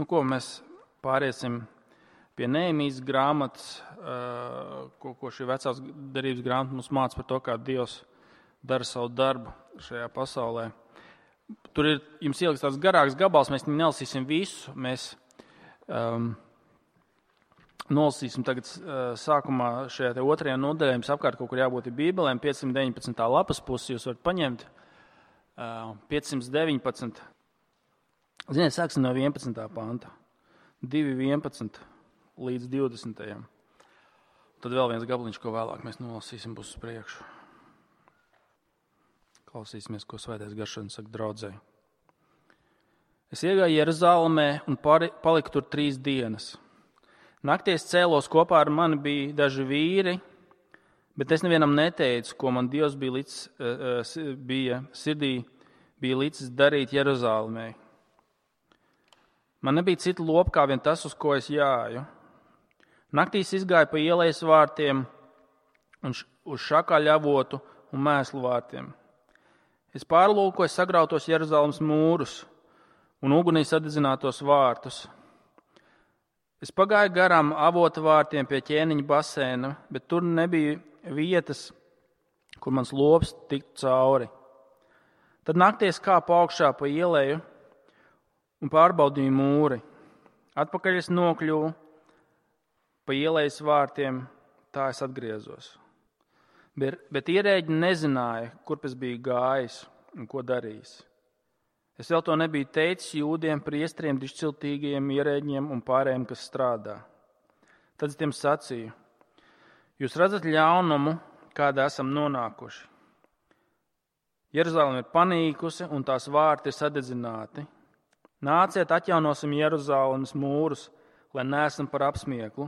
Ko mēs pāriesim pie Nehemijas grāmatas, ko šī vecās derības grāmata mums māca par to, kā Dievs dara savu darbu šajā pasaulē. Tur ir jums ieliks tāds garāks gabals, mēs nelasīsim visu. Mēs nolasīsim tagad sākumā šajā te 2. nodaļā. Jums apkārt kaut kur jābūt Bībelēm, 519. lapas pusi, jūs varat paņemt 519. Ziniet, sāksim no 11. panta, 2.11 līdz 20. Tad vēl viens gabaliņš, ko vēlāk mēs nolasīsim, būs uz priekšu. Klausīsimies, ko Svētais Gars saka draudzei. Es iegāju Jeruzalemē un paliku tur 3 dienas. Nakties cēlos, kopā ar mani bija daži vīri, bet es nevienam neteicu, ko man Dievs bija licis darīt Jeruzalemē. Man nebija cita lopa kā vien tas, uz ko es jāju. Naktīs izgāju pa ielas vārtiem un uz šakaļavotu un mēslu vārtiem. Es pārlūkoju sagrautos Jeruzalemes mūrus un ugunī sadedzinātos vārtus. Es pagāju garām avota vārtiem pie ķēniņa basēna, bet tur nebija vietas, kur mans lops tiktu cauri. Tad nakties kāpu augšā pa ieleju un pārbaudīju mūri. Atpakaļ es nokļuvu pa ielejas vārtiem, tā es atgriezos. Bet ierēģi nezināja, kurp es biju gājis un ko darījis. Es vēl to nebiju teicis jūdiem, priestriem, dišciltīgajiem ierēģiem un pārējiem, kas strādā. Tad es tiem sacīju: jūs redzat ļaunumu, kādā esam nonākuši. Jeruzaleme ir panīkusi un tās vārti ir sadedzināti. Nāciet, atjaunosim Jeruzalemes mūrus, lai neesam par apsmieklu.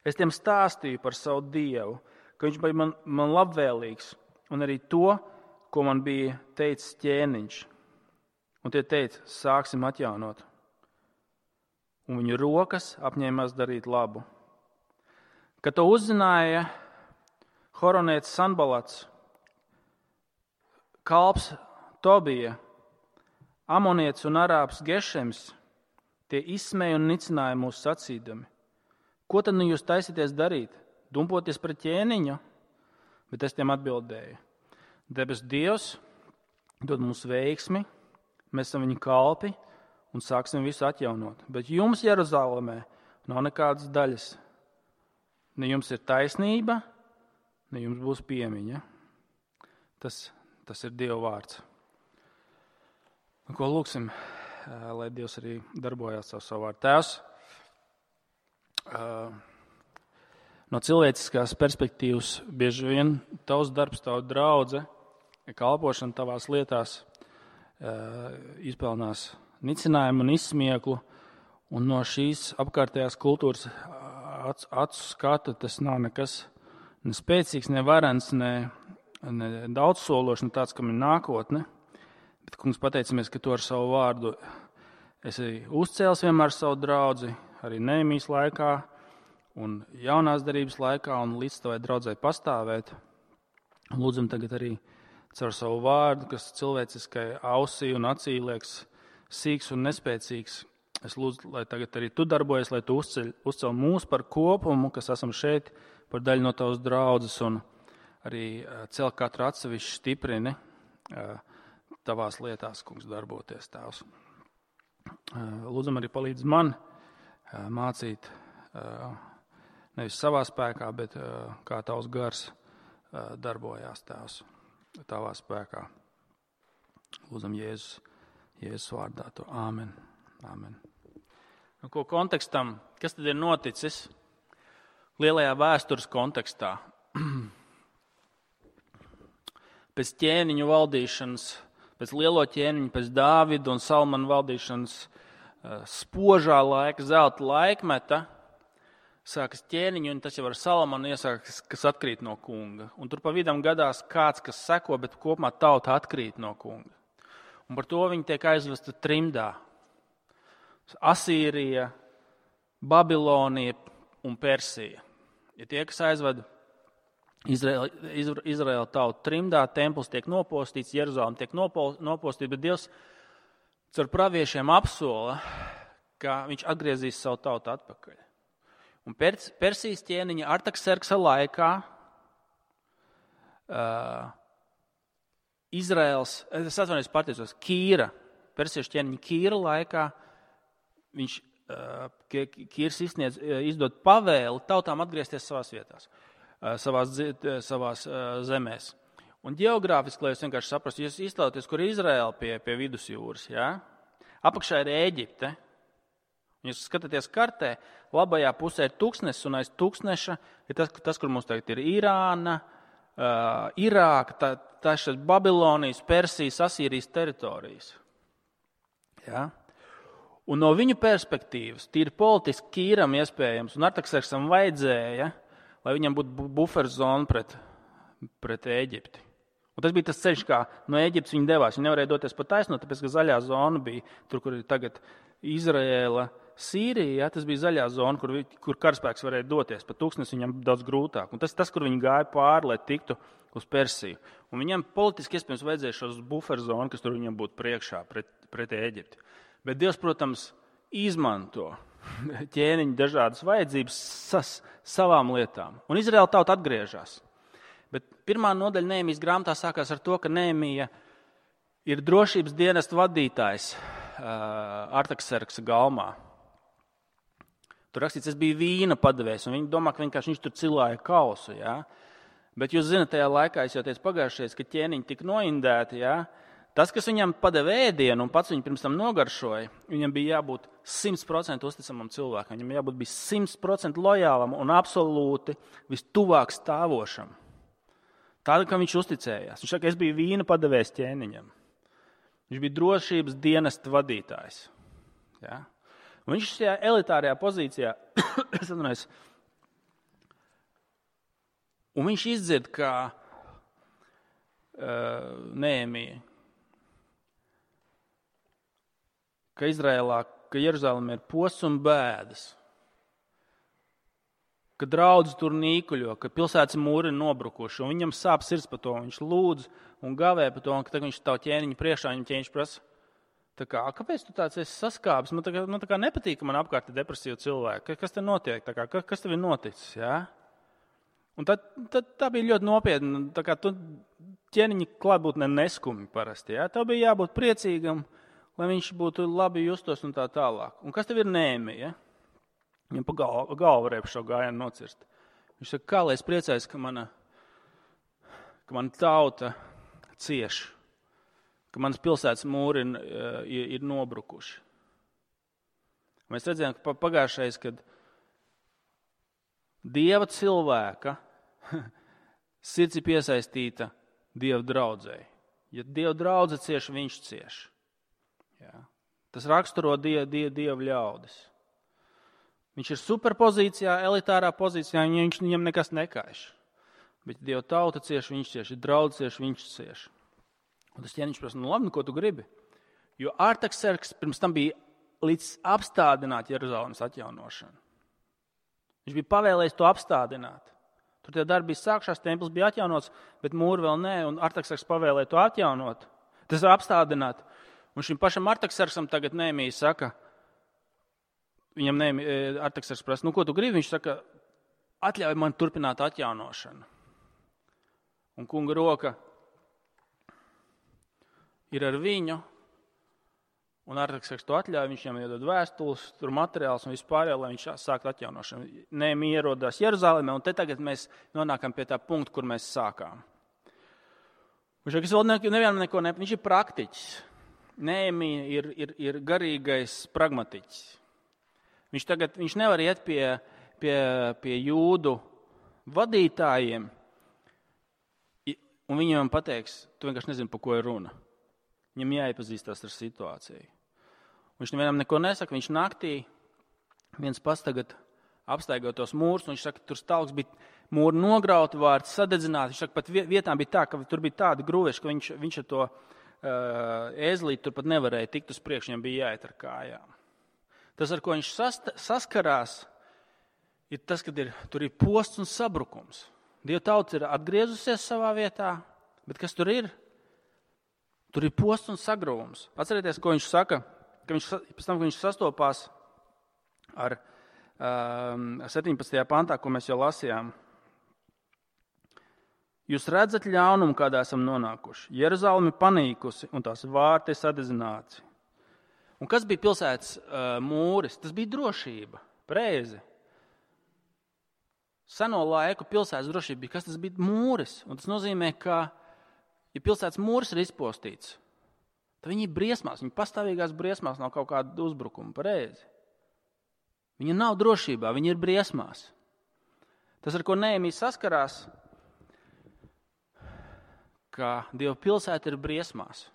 Es tiem stāstīju par savu Dievu, ka viņš bija man labvēlīgs, un arī to, ko man bija teicis ķēniņš. Un tie teica: sāksim atjaunot. Un viņu rokas apņēmās darīt labu. Kad to uzzināja horonietis Sanbalats, kalps Tobija, amonietis un arābs Gešems, tie izsmēja un nicināja mūs sacīdami: ko tad jūs taisieties darīt? Dumpoties pret ķēniņu? Bet es tiem atbildēju: debes Dievs dod mums veiksmi, mēs esam viņa kalpi un sāksim visu atjaunot. Bet jums Jeruzalemē nav nekādas daļas. Ne jums ir taisnība, ne jums būs piemiņa. Tas ir Dieva vārds. Ko lūksim, lai Dievs arī darbojās savu vārdu. Tēvs, no cilvēciskās perspektīvas bieži vien tavs darbs, tava draudze, kalpošana tavās lietās izpelnās nicinājumu un izsmieklu, un no šīs apkārtējās kultūras acu skata tas nav nekas ne spēcīgs, ne varens, ne daudzsološs, ne tāds, kam ir nākotne. Bet, kungs, pateicamies, ka tu ar savu vārdu esi uzcēlis vienmēr savu draudzi, arī Nehemijas laikā un jaunās derības laikā, un līdz tavai draudzei pastāvēt. Lūdzam tagad arī caur savu vārdu, kas cilvēciskai ausī un acī liekas sīks un nespēcīgs. Es lūdzu, lai tagad arī tu darbojies, lai tu uzceļ mūs par kopumu, kas esam šeit, par daļu no tavas draudzes, un arī cel katru atsevišķi stiprini tavās lietās, kungs, darboties, tēvs. Lūdzam arī palīdz man mācīt nevis savā spēkā, bet kā tavs gars darbojās, tēvs, tavā spēkā. Lūdzam Jēzus vārdā to. Āmen. Āmen. Ko kontekstam? Kas tad ir noticis lielajā vēstures kontekstā? Pēc ķēniņu valdīšanas, pēc lielo ķēniņu, pēc Dāvida un Salmana valdīšanas spožā laika, zelta laikmeta, sākas ķēniņu, un tas jau ar Salmanu iesākas, kas atkrīt no kunga. Un tur pa vidam gadās kāds, kas seko, bet kopumā tauta atkrīt no kunga. Un par to viņi tiek aizvesta trimdā. Asīrija, Babilonija un Persija. Ja tie, kas aizved Izraēla tautu trimdā, templis tiek nopostīts, Jeruzalem tiek nopostīts, bet Dievs caur praviešiem apsola, ka viņš atgriezīs savu tautu atpakaļ. Un Persijas ķēniņa Artakserksa laikā Izraels, es atvainojos pateicos, Kīra, persiešu ķēniņa Kīra laikā, Kīrs izdod pavēli tautām atgriezties savās vietās, savās zemēs. Un ģeogrāfiski, lai jūs vienkārši saprastu, jūs iztēloties, kur ir Izraela pie vidusjūras, ja? Apakšā ir Ēģipte. Jūs skatāties kartē, labajā pusē ir tūkstnesis, un aiz tūkstneša ir tas, kur mums tagad ir Irāna, Irāka, tā ir Babilonijas, Persijas, Asīrijas teritorijas. Ja? Un no viņu perspektīvas, tīri politiski Kīram iespējams, un Artakserksam vajadzēja, lai viņam būtu buferzona pret Ēģipti. Un tas bija tas ceļš, kā no Ēģiptes viņi devās. Viņi nevarēja doties pa taisno, tāpēc, ka zaļā zona bija tur, kur ir tagad Izraēla, Sīrija, tas bija zaļā zona, kur karaspēks varēja doties. Pa tūkstnesi viņam daudz grūtāk. Un tas, kur viņi gāja pāri, lai tiktu uz Persiju. Un viņam politiski iespējams vajadzēja šos buferzonu, kas tur viņam būtu priekšā pret Ēģipti. Bet Dievs, protams, izmanto ķēniņu dažādas vajadzības savām lietām. Un Izraēla tauta atgriežas. Bet pirmā nodaļa Nehemijas grāmatā sākās ar to, ka Nehemija ir drošības dienesta vadītājs Artakserksa galmā. Tur rakstīts, es biju vīna padevējs, un viņi domā, ka viņš tur cilāja kausu. Ja? Bet jūs zināt, tajā laikā, es jau teicu pagājušajā, ka ķēniņi tika noindēti. Ja? Tas, kas viņam padeva ēdienu un pats viņu pirms tam nogaršoja, viņam bija jābūt 100% uzticamam cilvēkam. Viņam jābūt 100% lojālam un absolūti vistuvāk stāvošam. Tāda, ka viņš uzticējās. Viņš saka, es biju vīna padevējs ķēniņam. Viņš bija drošības dienesta vadītājs. Ja? Un viņš šajā elitārajā pozīcijā, un viņš izdzird, kā Nehemija, ka Izrēlā, ka Jeruzalemē ir posts un bēdas, ka draudzi tur nīkuļo, ka pilsētas mūri ir nobrukuši, un viņam sāp sirds par to, un viņš lūdz un gavē par to, un ka viņš stāv ķēniņa priekšā, un ķēniņš prasa, kāpēc tu tāds esi saskāpis? Man tā kā nepatīk, ka man apkārt ir depresīvi cilvēki. Kas te notiek? Kas tev ir noticis? Ja? Un tā bija ļoti nopietna. Tā kā tu ķēniņa klātbūtnē neskumi parasti. Ja? Tev bija jābūt priecīgam, lai viņš būtu labi justos un tā tālāk. Un kas tev ir Nehemija? Ja? Viņam pa galvu varēja šo gājienu nocirst. Viņš saka, kā lai es priecājos, ka mana tauta cieš, ka manas pilsētas mūri ir nobrukuši. Mēs redzējām, ka pagājušais, kad Dieva cilvēka sirds ir piesaistīta Dieva draudzei. Ja Dieva draudze cieš, viņš cieš. Ja. Tas raksturo Dieva ļaudis. Viņš ir superpozīcijā, elitārā pozīcijā, viņam nekas nekaiš. Bet Dieva tauta cieš, viņš cieš, ja draudze cieš, viņš cieš. Un tas ķēniņš prasa, labi, ko tu gribi? Jo Artakserks pirms tam bija līdz apstādināt Jeruzalemes atjaunošanu. Viņš bija pavēlējis to apstādināt. Tur tie darbi bija sākšās, templis bija atjaunots, bet mūri vēl nē, un Artakserks pavēlēja to atjaunot. Tas ir apstādināt. Un šim pašam Artaksersam tagad Nehemija saka, viņam Artakserks prasa, ko tu gribi? Viņš saka, atļauj man turpināt atjaunošanu. Un kunga roka ir ar viņu, un Artakserks to atļauj, viņš viņam iedod vēstules, tur materiāls un vispārējo, lai viņš sāktu atjaunošanu. Nehemija ierodās Jeruzalemē, un te tagad mēs nonākam pie tā punkta, kur mēs sākām. Viņš ir praktiķis. Nehemija ir garīgais pragmatiķis. Viņš nevar iet pie jūdu vadītājiem, un viņiem pateiks, tu vienkārši nezini, par ko ir runa. Viņam jāiepazīstās ar situāciju. Viņš nevienam neko nesaka, viņš naktī viens pats tagad apstaigā tos mūrus, un viņš saka, tur stalks bija mūri nograuti, vārds sadedzināti. Viņš saka, pat vietām bija tā, ka tur bija tāda grūveša, ka viņš ar to ēzlīti tur pat nevarēja tikt uz priekšu, viņam bija jāiet ar kājām. Tas, ar ko viņš saskarās, ir tas, ka tur ir posts un sabrukums. Dieva tauta ir atgriezusies savā vietā, bet kas tur ir? Tur ir posts un sagruvums. Atcerieties, ko viņš saka, ka pēc tam, kad viņš sastopās ar 17. pantā, ko mēs jau lasījām. Jūs redzat ļaunumu, kādā esam nonākuši. Jeruzaleme panīkusi un tās vārti sadedzināti. Un kas bija pilsētas mūris? Tas bija drošība, pareizi. Seno laiku pilsētas drošība bija, kas tas bija mūris. Un tas nozīmē, ka, ja pilsētas mūris ir izpostīts, tad viņi ir briesmās, viņi pastāvīgās briesmās no kaut kāda uzbrukuma, pareizi. Viņi nav drošībā, viņi ir briesmās. Tas, ar ko Nehemijas saskarās, ka Dieva pilsēta ir briesmās.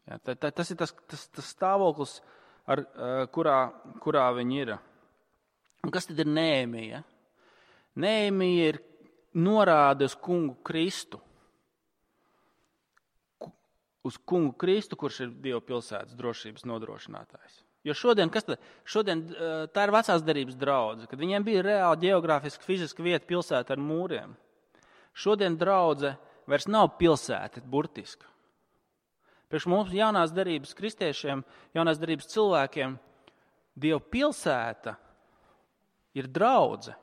Ja, tas ir tas stāvoklis, kurā viņi ir. Un kas tad ir Nehemija? Nehemija ir norāde uz kungu Kristu. Uz kungu Kristu, kurš ir Dieva pilsētas drošības nodrošinātājs. Jo šodien tā ir vecās derības draudze, kad viņiem bija reāli ģeogrāfiski, fiziski vieta pilsēta ar mūriem. Šodien draudze vairs nav pilsēta, burtiska. Priekš mums jaunās derības kristiešiem, jaunās derības cilvēkiem, Dieva pilsēta ir draudze.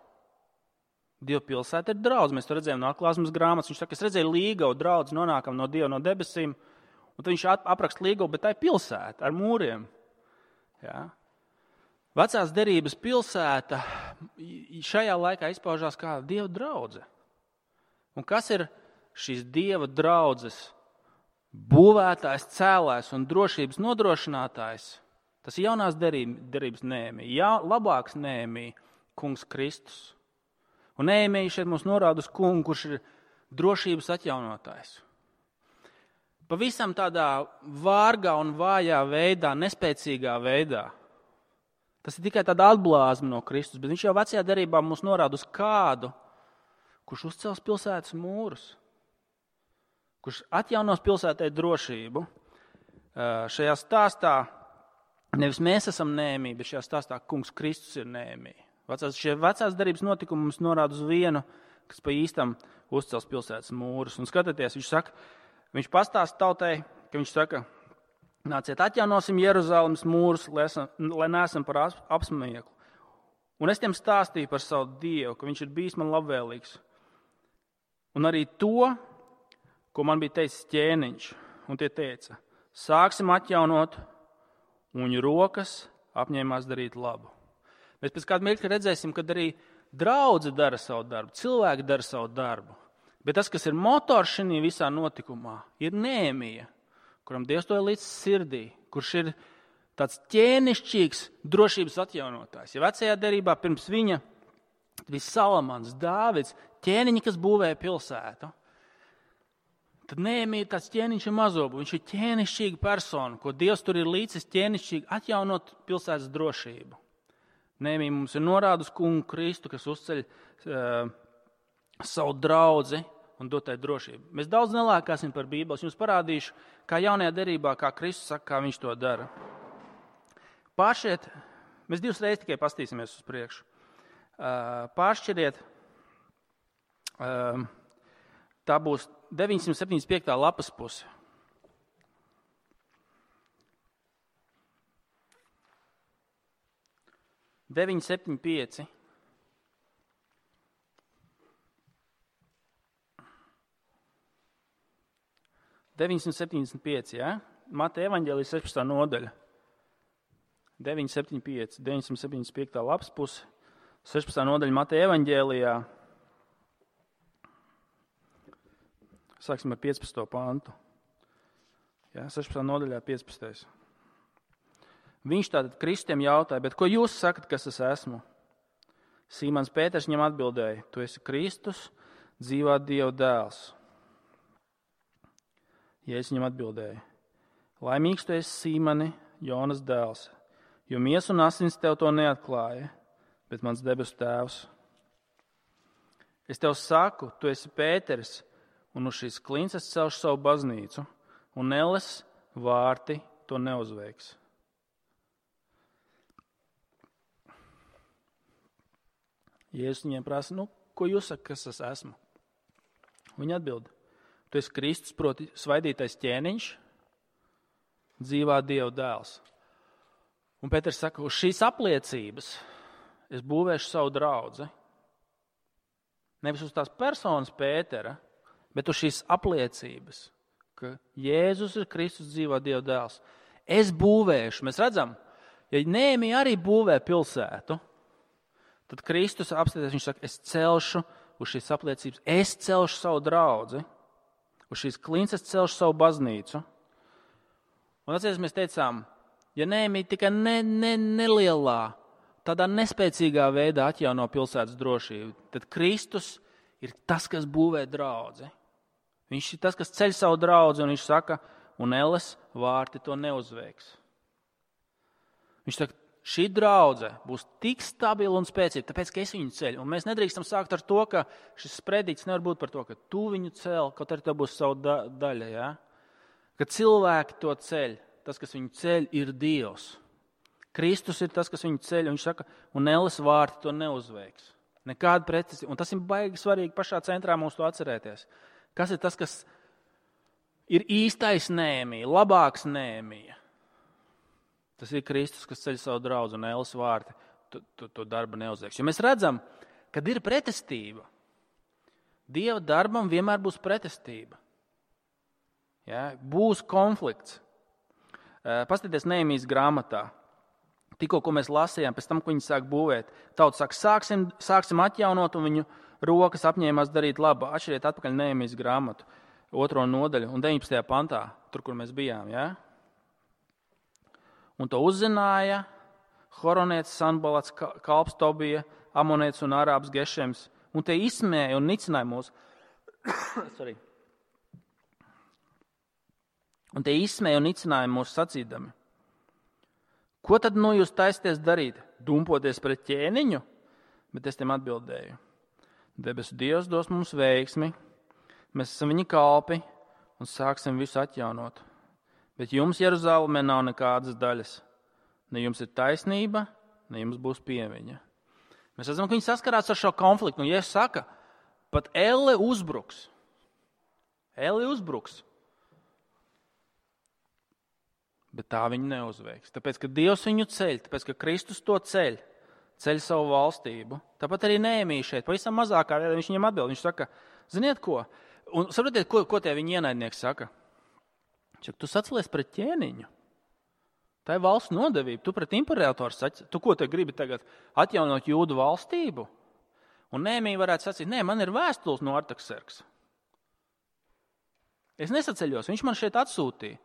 Dieva pilsēta ir draudze. Mēs to redzējām no atklāsmes grāmatas. Viņš saka, es redzēju līgavu draudzi, nonākam no Dieva no debesīm, un tad viņš apraksta līgavu, bet tā ir pilsēta ar mūriem. Ja? Vecās derības pilsēta šajā laikā izpaužās kā Dieva draudze. Un kas ir šīs Dieva draudzes būvētājs, cēlājs un drošības nodrošinātājs? Tas ir jaunās derības Nehemija, labāks Nehemija, kungs Kristus. Un Nehemija šeit mums norāda uz kungu, kurš ir drošības atjaunotājs. Pavisam tādā vārgā un vājā veidā, nespēcīgā veidā. Tas ir tikai tāda atblāzma no Kristus, bet viņš jau vecajā derībā mums norāda uz kādu, kurš uzcels pilsētas mūrus, kurš atjaunos pilsētai drošību. Šajā stāstā nevis mēs esam Nehemija, bet šajā stāstā kungs Kristus ir Nehemija. Šie vecās derības notikumi mums norāda uz vienu, kas pa īstam uzcels pilsētas mūrus. Un skatieties, viņš pastāsta tautai, ka viņš saka, nāciet atjaunosim Jeruzalemes mūrus, lai neesam par apsmieklu. Un es tiem stāstīju par savu Dievu, ka viņš ir bijis man labvēlīgs. Un arī to, ko man bija teicis ķēniņš, un tie teica, sāksim atjaunot, un viņu rokas apņēmās darīt labu. Mēs pēc kāda mirkļa redzēsim, kad arī draudze dara savu darbu, cilvēki dara savu darbu. Bet tas, kas ir motors šī visā notikumā, ir Nehemija, kuram Dievs to ir līdz sirdī, kurš ir tāds ķēnišķīgs drošības atjaunotājs. Ja vecajā derībā pirms viņa bija Salamans, Dāvids, ķēniņi, kas būvēja pilsētu, tad Nehemija ir tāds ķēniņš ar mazobu. Viņš ir ķēnišķīga persona, ko Dievs tur ir līdzis ķēnišķīgi atjaunot pilsētas drošību. Nehemija mums ir norāda uz kungu Kristu, kas uzceļ savu draudzi un dot tai drošību. Mēs daudz nelēkāsim par Bībeles. Jums parādīšu, kā jaunajā derībā, kā Kristus saka, kā viņš to dara. Mēs 2 reizes tikai pastīsimies uz priekšu. Pāršķiriet, tā būs 975. lapas puse. – 975. Ja? Mateja evaņģēlijas 16. nodaļa. 975. lapas puse. 16. nodaļa Mateja evaņģēlijā. Sāksim ar 15. pantu. Ja? 16. nodaļā 15. Viņš tātad Kristiem jautāja, bet ko jūs sakat, kas es esmu? Sīmans Pēters viņam atbildēja, tu esi Kristus, dzīvā Dieva dēls. Jēzus viņam atbildēja, laimīgs tu esi Sīmani, Jonas dēls, jo miesa un asins tev to neatklāja, bet mans debesu tēvs. Es tev saku, tu esi Pēters, un uz šīs klints es celšu savu baznīcu, un elles vārti to neuzveiks. Jēzus viņiem prasa, ko jūs sakat, kas es esmu? Viņa atbild, tu esi Kristus, proti svaidītais ķēniņš, dzīvā Dieva dēls. Un Pēters saka, uz šīs apliecības es būvēšu savu draudzi. Nevis uz tās personas Pētera, bet uz šīs apliecības, ka Jēzus ir Kristus dzīvā Dieva dēls. Es būvēšu. Mēs redzam, ja Nehēmija arī būvē pilsētu, tad Kristus apstāties, viņš saka, es celšu uz šīs apliecības, es celšu savu draudzi, uz šīs klints es celšu savu baznīcu. Un atceries, mēs teicām, ja Nehēmija tikai nelielā, tādā nespēcīgā veidā atjauno pilsētas drošību, tad Kristus ir tas, kas būvē draudzi. Viņš ir tas, kas ceļ savu draudzi, un viņš saka, un Elles vārti to neuzveiks. Viņš saka, šī draudze būs tik stabila un spēcīga, tāpēc, ka es viņu ceļu. Un mēs nedrīkstam sākt ar to, ka šis sprediķis nevar būt par to, ka tu viņu cel, kaut arī tev būs savu daļa. Ja? Ka cilvēki to ceļ, tas, kas viņu ceļ, ir Dievs. Kristus ir tas, kas viņu ceļ, un viņš saka, un Elles vārti to neuzveiks. Nekāda pretestība. Un tas ir baigi svarīgi pašā centrā mums to atcerēties. Kas ir tas, kas ir īstais Nehēmija, labāks Nehēmija? Tas ir Kristus, kas ceļ savu draudzi, un Elles vārti to darbu neuzveiks. Jo mēs redzam, kad ir pretestība. Dieva darbam vienmēr būs pretestība. Ja? Būs konflikts. Paskatieties Nehēmijas grāmatā. Tikko, ko mēs lasījām, pēc tam, ko viņi sāk būvēt, tauta saka, sāksim atjaunot, un viņu rokas apņēmās darīt labu. Atšķiriet atpakaļ Nehēmijas grāmatu, 2. nodaļu un 19. pantā, tur, kur mēs bijām. Ja? Un to uzzināja Horonietis, Sanbalats, kalps Tobija, Amonietis un Arābs Gešems, un tie izsmēja un nicināja mūs. Un tie izsmēja un nicināja mūs sacīdami. Ko tad nu jūs taisties darīt? Dumpoties pret ķēniņu? Bet es tiem atbildēju. Debesu Dievs dos mums veiksmi, mēs esam viņa kalpi un sāksim visu atjaunot. Bet jums Jeruzalemē nav nekādas daļas. Ne jums ir taisnība, ne jums būs pieviņa. Mēs redzam, ka viņi saskarās ar šo konfliktu. Un Jēzus saka, pat Elle uzbruks. Elle uzbruks. Bet tā viņi neuzveiks. Tāpēc, ka Dievs viņu ceļ, tāpēc, ka Kristus to ceļ savu valstību. Tāpat arī Nehēmija šeit, pavisam mazākā veidā viņš viņam atbild. Viņš saka, ziniet ko? Un saprotiet, ko tie viņa ienaidnieki saka? Čak, tu sacelies pret ķēniņu. Tā ir valsts nodevība. Tu pret imperatoru sacelies. Tu ko te gribi tagad atjaunot Jūdu valstību? Un Nehēmija varētu sacīt, nē, man ir vēstules no Artakserksa. Es nesaceļos, viņš man šeit atsūtīja.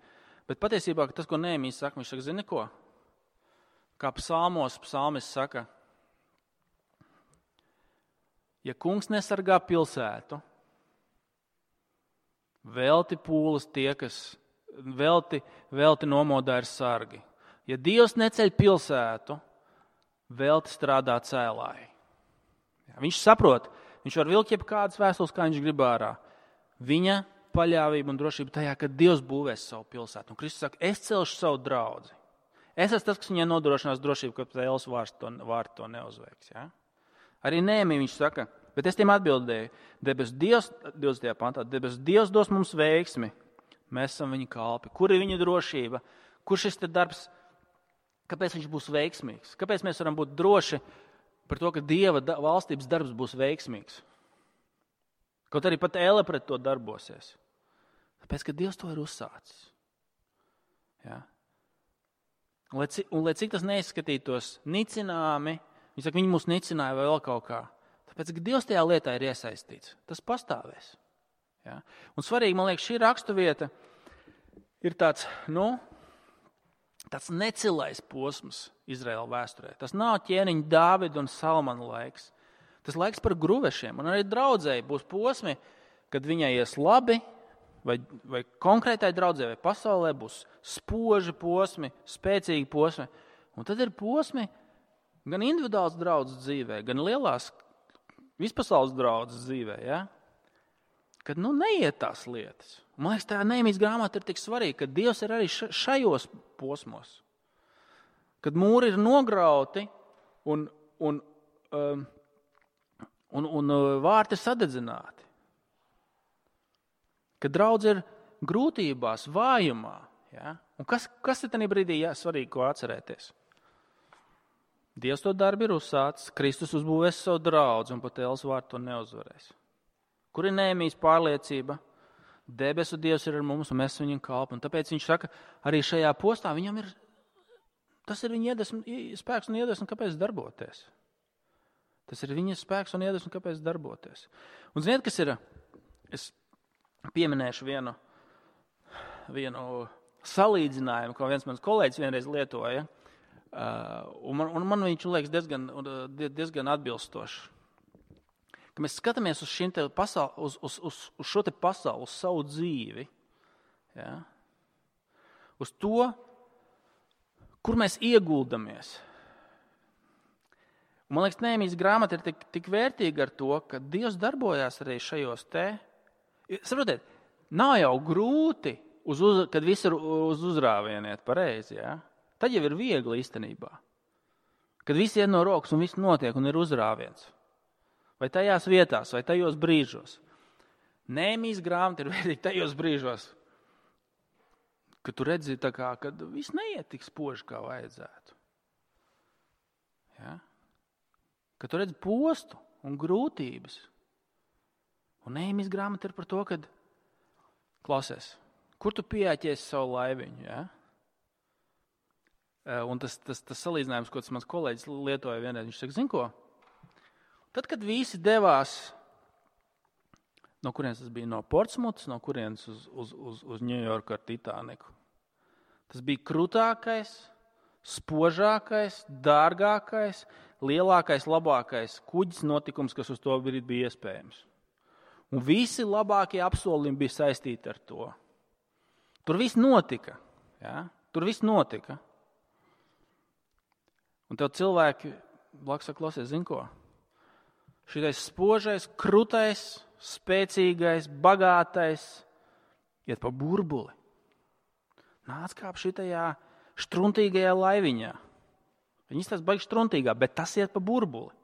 Bet patiesībā tas, ko Nehēmijs saka, viņš saka, zini ko? Kā psalmis saka, ja kungs nesargā pilsētu, velti pūles tie, kas velti nomodā ir sargi. Ja Dievs neceļ pilsētu, velti strādā cēlāji. Viņš saprot, viņš var vilkt jebkādas vēstules, kā viņš grib ārā. Viņa paļāvība un drošība tajā, ka Dievs būvēs savu pilsētu. Un Kristus saka, es celšu savu draudzi. Es esmu tas, kas viņai nodrošinās drošību, ka Elles vārti to neuzveiks. Ja? Arī Nehēmija viņš saka, bet es tiem atbildēju, debesu Dievs, 20. pantā, debesu Dievs dos mums veiksmi. Mēs esam viņa kalpi. Kur ir viņa drošība? Kur šis te darbs? Kāpēc viņš būs veiksmīgs? Kāpēc mēs varam būt droši par to, ka Dieva valstības darbs būs veiksmīgs? Kaut arī pat Elle pret to darbosies. Tāpēc, ka Dievs to ir uzsācis. Ja? Un lai cik tas neizskatītos nicināmi, viņi mūs nicināja vai vēl kaut kā. Tāpēc, ka Dievs tajā lietā ir iesaistīts. Tas pastāvēs. Ja? Un svarīgi, man liekas, šī raksturvieta ir tāds necilais posms Izraēla vēsturē. Tas nav ķēniņa Dāvida un Salmana laiks. Tas laiks par gruvešiem. Un arī draudzēji būs posmi, kad viņai ies labi, vai konkrētai draudzē, vai pasaulē būs spoži posmi, spēcīgi posmi. Un tad ir posmi gan individuāls draudzes dzīvē, gan lielās vispasaules draudzes dzīvē. Ja? Kad neiet tās lietas. Man liekas, tā Nehēmijas grāmata ir tik svarīga, ka Dievs ir arī šajos posmos. Kad mūri ir nograuti un vārti ir sadedzināti. Kad draudze ir grūtībās, vājumā. Ja? Un kas ir tajā brīdī svarīgi, ko atcerēties? Dievs to darbu ir uzsācis, Kristus uzbūvēs savu draudzi un pat ēles vārdu to neuzvarēs. Kur ir Nehemijas pārliecība? Debesu Dievs ir ar mums un mēs viņam kalpam. Un tāpēc viņš saka, arī šajā postā viņam ir, tas ir viņa spēks un iedvesma, kāpēc darboties. Tas ir viņa spēks un iedvesma, kāpēc darboties. Un ziniet, kas ir? Es pieminēšu vienu salīdzinājumu, ko viens mans kolēģis vienreiz lietoja. Un man viņš liekas diezgan atbilstoši. Ka mēs skatāmies uz šo te pasauli, uz savu dzīvi, ja? Uz to, kur mēs ieguldamies. Un, man liekas, Nehemijas grāmata ir tik vērtīga ar to, ka Dievs darbojās arī šajos te. Saprotiet, nav jau grūti, kad viss ir uz uzrāvieniet pareizi, ja? Tad jau ir viegli īstenībā. Kad viss iet no rokas un viss notiek un ir uzrāviens. Vai tajās vietās, vai tajos brīžos. Nehemijas grāmata ir vērtīga tajos brīžos, kad tu redzi tā kā, kad viss neiet tik spoži, kā vajadzētu. Ja? Kad tu redzi postu un grūtības. Un Nehemijas grāmata ir par to, kad klausies, kur tu pieāķies savu laiviņu, ja? Un tas salīdzinājums, ko tas mans kolēģis lietoja vienreiz, viņš saka, zin ko? Tad, kad visi devās, no kurienes tas bija, no Portsmutas, no kurienes uz Ņujorku ar Titaniku, tas bija krutākais, spožākais, dārgākais, lielākais, labākais kuģis notikums, kas uz to brīdi bija iespējams. Un visi labākie apsolījumi bija saistīti ar to. Tur viss notika. Ja? Tur viss notika. Un tev cilvēki blakus saka, klausies, zin ko? Šitais spožais, krutais, spēcīgais, bagātais iet pa burbuli. Nāc kāp šitajā štruntīgajā laiviņā. Viņi izstāsta baigi štruntīgā, bet tas iet pa burbuli.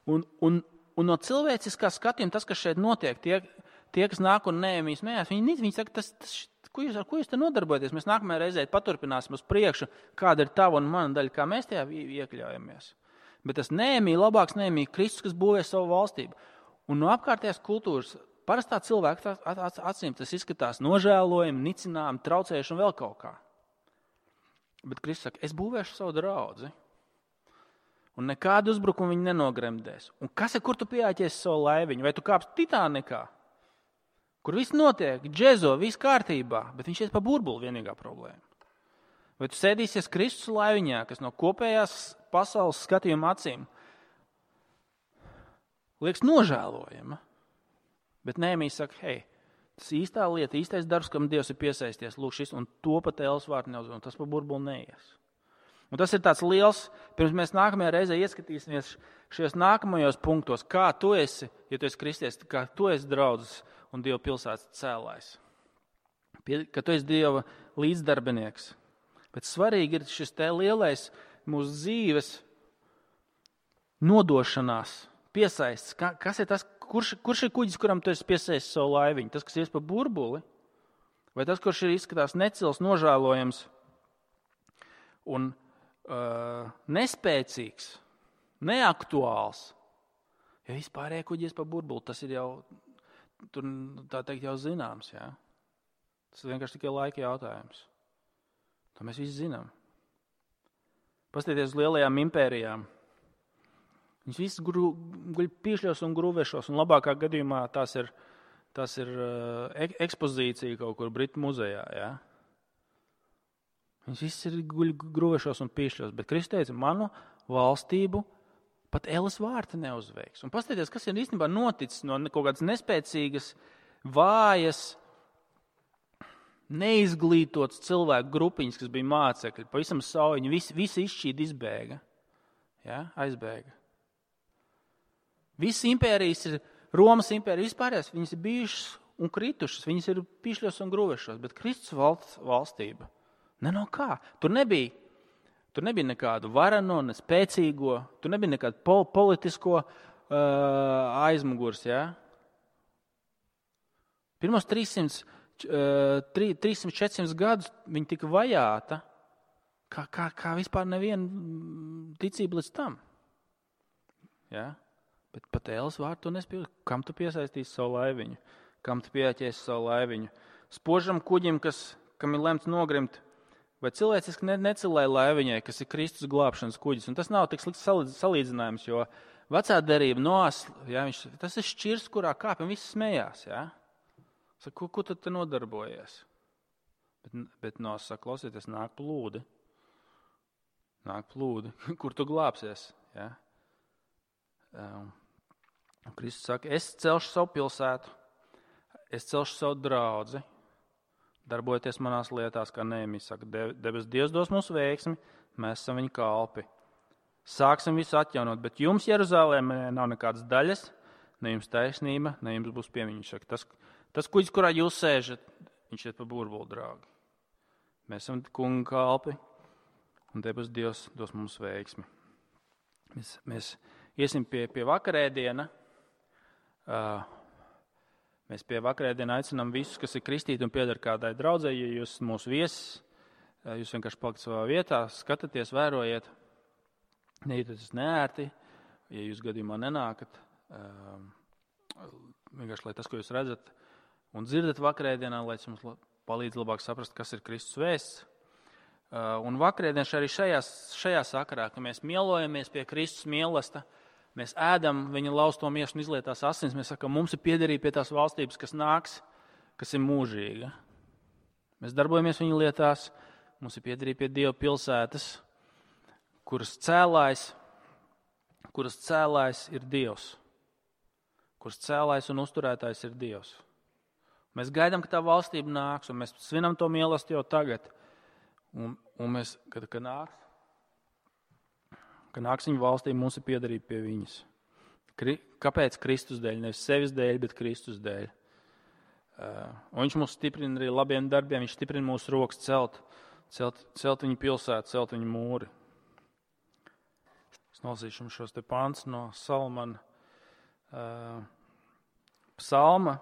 Un no cilvēciskā skatījuma tas, kas šeit notiek, tie kas nāk un Nehemijas mējās, viņi saka, ar ko jūs te nodarbojaties? Mēs nākamajā reizē paturpināsim uz priekšu, kāda ir tava un mana daļa, kā mēs tajā iekļaujamies. Bet tas Nehemija, labāks Nehemija, Kristus, kas būvē savu valstību. Un no apkārtējās kultūras, parastā cilvēka acīm tas izskatās nožēlojami, nicinājumi, traucējuši un vēl kaut kā. Bet Kristus saka, es būvēšu savu draudzi. Un nekādu uzbrukumu viņi nenogremdēs. Un kas ir, kur tu pieāķies savu laiviņu? Vai tu kāpsi Titanikā? Kur viss notiek, džezo, viss kārtībā, bet viņš iet pa burbuli vienīgā problēma. Vai tu sēdīsies Kristus laiviņā, kas no kopējās pasaules skatījuma acīm liekas nožēlojama? Bet Nehemija saka, hei, tas īstā lieta, īstais darbs, kam Dievs ir piesaisties, lūk šis, un to pat ēles vārdu neuzvar, un tas pa burbuli neies. Un tas ir tāds liels, pirms mēs nākamajā reizē ieskatīsimies šajos nākamajos punktos, kā tu esi, ja tu esi kristietis, kā tu esi draudzes un Dieva pilsētas cēlājs. Ka tu esi Dieva līdzdarbinieks. Bet svarīgi ir šis te lielais mūsu dzīves nodošanās, piesaists. Kas ir tas, kurš ir kuģis, kuram tu esi piesaists savu laiviņu? Tas, kas ies pa burbuli? Vai tas, kurš ir izskatās necils, nožēlojams un nespēcīgs, neaktuāls? Ja vispārējie kuģi ies pa burbuli, tas ir jau, tur tā teikt, jau zināms. Ja? Tas ir vienkārši tikai laika jautājums. To mēs visi zinām. Paskatieties uz lielajām impērijām. Viņas visas guļ pīšļos un grūvešos, un labākā gadījumā tās ir ekspozīcija kaut kur Britu muzejā. Ja? Viņas visas ir guļ grūvešos un pīšļos, bet Kristus teica, manu valstību pat ēles vārti neuzveiks. Un paskatieties, kas ir īstenībā noticis no kaut kādas nespēcīgas, vājas, neizglītots cilvēku grupiņas, kas bija mācekļi, pavisam saujiņi, visi izšķīdi izbēga. Ja? Aizbēga. Visas impērijas ir, Romas impērija, vispārējās, viņas ir bijušas un kritušas, viņas ir pīšļos un grūvešos, bet Kristus valstība, ne no kā. Tur nebija nekādu varano, ne spēcīgo, tur nebija nekādu politisko aizmugurs. Ja? Pirmos 300-400 gadus viņa tika vajāta, kā vispār neviena ticība līdz tam. Ja? Bet pat ēles vārdu tu nespēji. Kam tu piesaistīsi savu laiviņu? Kam tu pieķēsi savu laiviņu? Spožam kuģim, kam ir lemts nogrimt, vai cilvēciski necilēja laiviņai, kas ir Kristus glābšanas kuģis. Un tas nav tik slikts salīdzinājums, jo vecā derība Noas, tas ir šķirs, kurā kāpj un viss smējās. Ja? Saka, ko tad te nodarbojies? Bet Noas saka, klausieties, nāk plūdi. Nāk plūdi, kur tu glābsies. Ja? Kristus saka, es celšu savu pilsētu, es celšu savu draudzi, darbojieties manās lietās, kā Nehemijas saka, debes Dievs dos mums veiksmi, mēs esam viņa kalpi. Sāksim visu atjaunot, bet jums Jeruzālēmē nav nekādas daļas, ne jums taisnība, ne jums būs piemiņš. Tas kuģis, kurā jūs sēžat, viņš iet pa burbuli, draugi. Mēs esam kunga kalpi, un debes Dievs dos mums veiksmi. Mēs iesim pie vakarēdiena. Mēs pie vakarēdiena aicinām visus, kas ir kristīti un pieder kādai draudzei. Ja jūs esat mūsu viesis, jūs vienkārši palikat savā vietā, skatāties, vērojiet, nejūties neērti. Ja jūs gadījumā nenākat, vienkārši, lai tas, ko jūs redzat un dzirdat vakarēdienā, lai tas mums palīdz labāk saprast, kas ir Kristus vēsts. Un vakarēdienas arī šajā sakarā, ka mēs mielojamies pie Kristus mīlestības, mēs ēdam viņa lausto miesu un izlietās asins, mēs sakam, mums ir piederība pie tās valstības, kas nāks, kas ir mūžīga. Mēs darbojamies viņa lietās, mums ir piederība pie Dieva pilsētas, kuras cēlājs ir Dievs, kuras cēlājs un uzturētājs ir Dievs. Mēs gaidām, ka tā valstība nāks, un mēs svinam to mīlestību jau tagad. Un mēs, kad nāks viņa valstība, mums ir piederība pie viņas. Kāpēc? Kristus dēļ, nevis sevis dēļ, bet Kristus dēļ. Un viņš mūs stiprina arī labiem darbiem, viņš stiprina mūsu rokas celt viņa pilsētu, celt viņa mūri. Es nolasīšu šos te pants no Salamana psalma,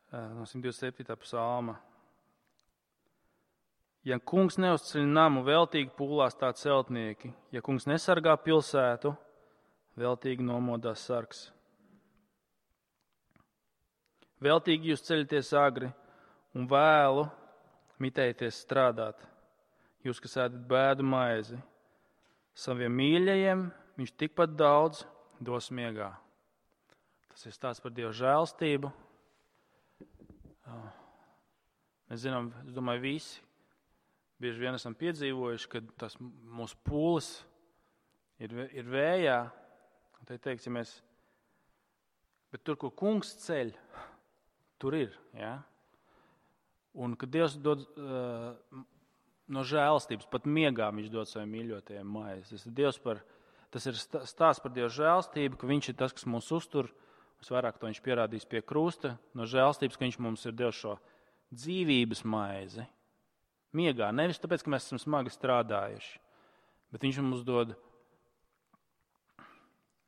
no 127. psalma. Ja kungs neuzceļ namu, veltīgi pūlās tā celtnieki. Ja kungs nesargā pilsētu, veltīgi nomodās sargs. Veltīgi jūs ceļaties agri un vēlu mitēties strādāt. Jūs, kas ēdat bēdu maizi, saviem mīļajiem viņš tikpat daudz dos miegā. Tas ir stāsts par Dieva žēlstību. Mēs zinām, es domāju, visi bieži vien esam piedzīvojuši, ka tas mūsu pūles ir vējā. Un te teikts, bet tur, kur kungs ceļ, tur ir. Ja? Un kad Dievs dod no žēlstības, pat miegā viņš dod saviem mīļotajiem maizi. Tas ir stāsts par Dieva žēlstību, ka viņš ir tas, kas mūs uztur. Visvairāk to viņš pierādīs pie krusta. No žēlstības, ka viņš mums ir devis šo dzīvības maizi. Miegā, nevis tāpēc, ka mēs esam smagi strādājuši, bet viņš mums dod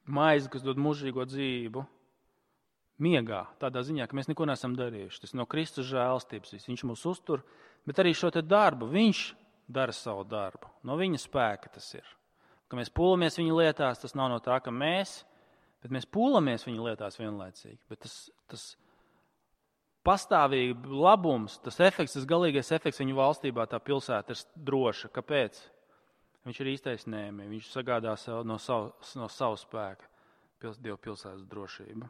maizi, kas dod mūžīgo dzīvību, miegā, tādā ziņā, ka mēs neko neesam darījuši. Tas no Kristus žēlstības, viņš mūs uztur, bet arī šo te darbu, viņš dara savu darbu. No viņa spēka tas ir. Ka mēs pūlamies viņa lietās, tas nav no tā, ka bet mēs pūlamies viņa lietās vienlaicīgi, bet tas pastāvīgi labums, tas efekts, tas galīgais efekts viņa valstībā, tā pilsēta ir droša. Kāpēc? Viņš ir īstais Nehemija. Viņš sagādā no savu spēka Dieva pilsētas drošību.